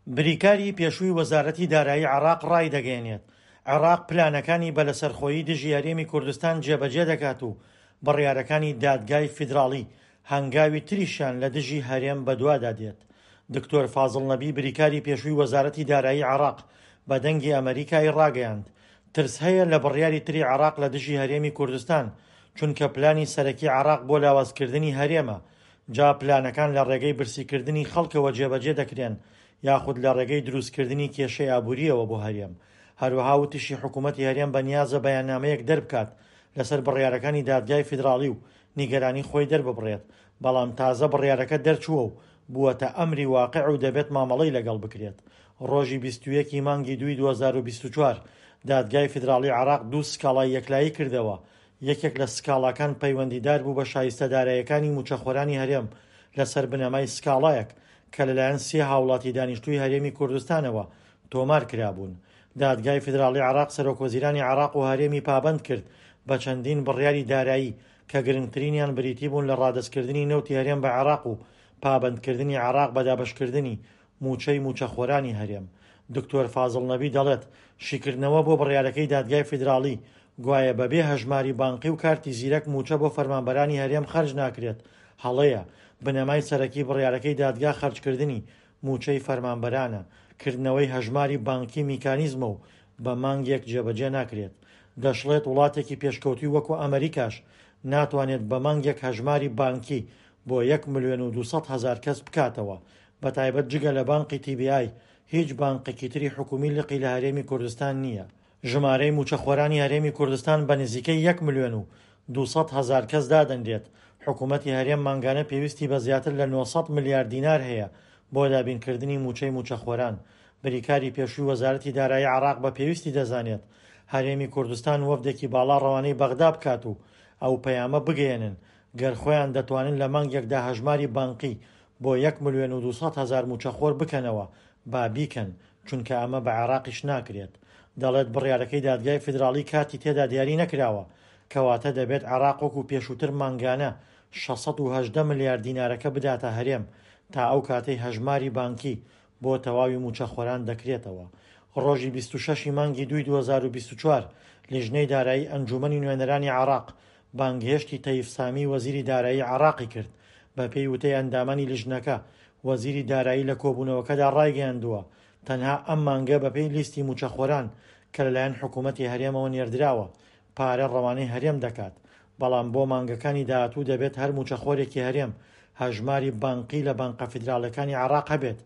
بریکاری پێشووی وەزارەتی دارایی عێراق ڕایدەگەیەنێت، عێراق پلانەکانی بە لەسەرخۆیی دژی هەرێمی کوردستان جێبەجێ دەکات و بڕیارەکانی دادگای فیدراڵی هەنگاوی تریشیان لە دژی هەرێم بەدوادا دێت. دکتۆر فازڵ نەبی بریکاری پێشووی وەزارەتی دارایی عێراق بە دەنگی ئەمەریکای ڕاگەیاند، ترس هەیە لە بڕیاری تری عێراق لە دژی هەرێمی کوردستان، چونکە پلانی سەرەکی عێراق بۆ لاوازکردنی هەرێمە، جا پلانەکان لە ڕێگەی برسیکردنی خەڵکەوە جێبەجێ دەکرێن یاخود لە ڕێگەی دروستکردنی کێشەی ئابوورییەوە بۆ هەرێم. هەروەها وتیشی حکوومەتی هەرێم بەنیازە بەیاننامەیەک دەربکات لەسەر بڕیارەکانی دادگای فیدراڵی و نیگەرانی خۆی دەرببڕێت، بەڵام تازە بڕیارەکە دەرچووە و بووەتە ئەمری واقع و دەبێت مامەڵەی لەگەڵ بکرێت. ڕۆژی 21 ی مانگی دووی 2024 دادگای فیدراڵی عێراق دوو سکاڵای یەکلایی کردەوە، یەکێک لە سکاڵاکان پەیوەندیدار بوو بە شایستە داراییەکانی مووچەخۆرانی هەرێم لەسەر بنەمای سکاڵایەک کە لەلایەن سێ هاوڵاتی دانیشتووی هەرێمی کوردستانەوە تۆمار کرابوون. دادگای فیدراڵی عێراق سەرۆکوەزیرانی عێراق و هەرێمی پابەند کرد بە چەندین بڕیاری دارایی کە گرنگترینیان بریتی بوون لە ڕادەستکردنی نەوتی هەرێم بە عێراق و پابەندکردنی عێراق بە دابەشکردنی مووچەی مووچەخۆرانی هەرێم. دکتۆر فازڵ نەبی دەڵێت، شیکردنەوە بۆ بڕیارەکەی دادگای فیدراڵی، گوایە بەبێ هەژماری بانقی و کارتی زیرەک مووچە بۆ فەرمانبەرانی هەرێم خەرج ناکرێت، هەڵەیە، بنەمای سەرەکی بڕیارەکەی دادگا خەرجکردنی مووچەی فەرمانبەرانە، کردنەوەی هەژماری بانقی میکانیزمە و بە مانگێک جێبەجێ ناکرێت. دەشڵێت وڵاتێکی پێشکەوتووی وەکو ئەمریکاش ناتوانێت بە مانگێک هەژماری بانکی بۆ یەک ملیۆن و 200 هەزار کەس بکاتەوە، بەتایبەت جگە لە بانقی TBI هیچ بانقێکی تری حکومی لقی لە هەرێمی کوردستان نییە. ژمارەی مووچەخۆرانی هەرێمی کوردستان بە نزیکەی یەک ملیۆن و 200 هەزار کەس دادەنرێت، حکوومەتی هەرێم مانگانە پێویستی بە زیاتر لە 900 ملیار دینار هەیە بۆ دابینکردنی مووچەی مووچەخۆران. بریکاری پێشووی وەزارەتی دارایی عێراق بە پێویستی دەزانێت هەرێمی کوردستان وەفدێکی باڵا ڕەوانەی بەغدا بکات و ئەو پەیامە بگەیەنن گەر خۆیان دەتوانن لە مانگێکدا هەژماری بانقی بۆ یەک ملیۆن و 200 هەزار مووچەخۆر بکەنەوە با بیکەن، چونکە ئەمە بە عێراقیش ناکرێت. دەڵێت بڕیارەکەی دادگای فیدراڵی کاتی تێدا دیاری نەکراوە، کەواتە دەبێت عێراق وەکو پێشووتر مانگانە 618 ملیار دینارەکە بداتە هەرێم تا ئەو کاتەی هەژماری بانکی بۆ تەواوی مووچەخۆران دەکرێتەوە. ڕۆژی 26 ی مانگی دووی 2024 لیژنەی دارایی ئەنجوومەنی نوێنەرانی عێراق بانگهێشتی تەیف سامی وەزیری دارایی عێراقی کرد، بەپێی وتەی ئەندامانی لیژنەکە، وەزیری دارایی لە کۆبوونەوەکەدا ڕایگەیاندووە، تەنها ئەم مانگە بەپێی لیستی مووچەخۆران کە لەلایەن حکوومەتی هەرێمەوە نێردراوە، پارە ڕەوانەی هەرێم دەکات، بەڵام بۆ مانگەکانی داهاتوو دەبێت هەر مووچەخۆرێکی هەرێم هەژماری بانقی لە بانقە فیدراڵیەکانی عێراق هەبێت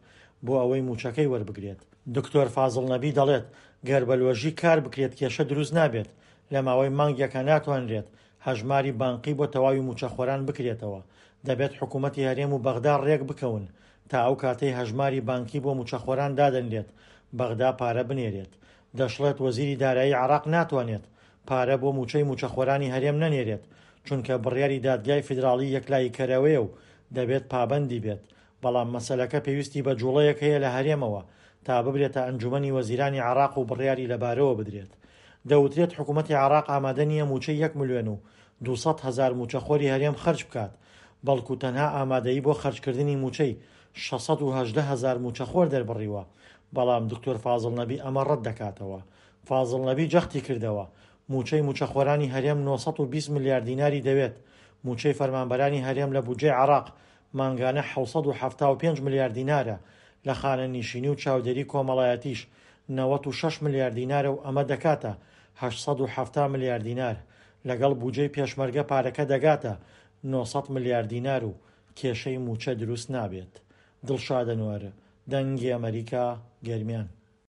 بۆ ئەوەی مووچەکەی وەربگرێت. دکتۆر فازڵ نەبی دەڵێت، گەر بە لۆژیک کار بکرێت کێشە دروست نابێت، لە ماوەی مانگێکا ناتوانرێت هەژماری بانقی بۆ تەواوی مووچەخۆران بکرێتەوە، دەبێت حکوومەتی هەرێم و بەغدا ڕێک بکەون تا ئەو کاتەی هەژماری بانکی بۆ مووچەخۆران دادەنرێت بەغدا پارە بنێرێت. دەشڵێت وەزیری دارایی عێراق ناتوانێت پارە بۆ مووچەی مووچەخۆرانی هەرێم نەنێرێت، چونکە بڕیاری دادگای فیدراڵی یەکلاییکەرەوەیە و دەبێت پابەندی بێت، بەڵام مەسەلەکە پێویستی بە جوڵەیەک هەیە لە هەرێمەوە تا ببرێتە ئەنجومەنی وەزیرانی عێراق و بڕیاری لەبارەوە بدرێت. دەوترێت حکومەتی عێراق ئامادە نییە مووچەی یەک ملیۆن و 200 هەزار مووچەخۆری هەرێم خەرج بکات، بەڵکو تەنها ئامادەیی بۆ خەرجکردنی مووچەی 618 هەزار مووچەخۆر دەربڕیوە، بەڵام دکتۆر فازڵ نەبی ئەمە ڕەت دەکاتەوە. فازڵ نەبی جەختی کردەوە، مووچەی مووچەخۆرانی هەرێم 920 ملیار دیناری دەوێت، مووچەی فەرمانبەرانی هەرێم لە بودجەی عێراق مانگانە 775 ملیار دینارە، لە خانەنیشینی و چاودێری کۆمەڵایەتیش 96 ملیار دینارە و ئەمە دەکاتە 870 ملیار دینار، لەگەڵ بوجەی پێشمەرگە پارەکە دەگاتە 900 ملیار دینار و کێشەی مووچە دروست نابێت. دڵشاد ئەنوەر، دەنگی ئەمەریکا، گەرمیان.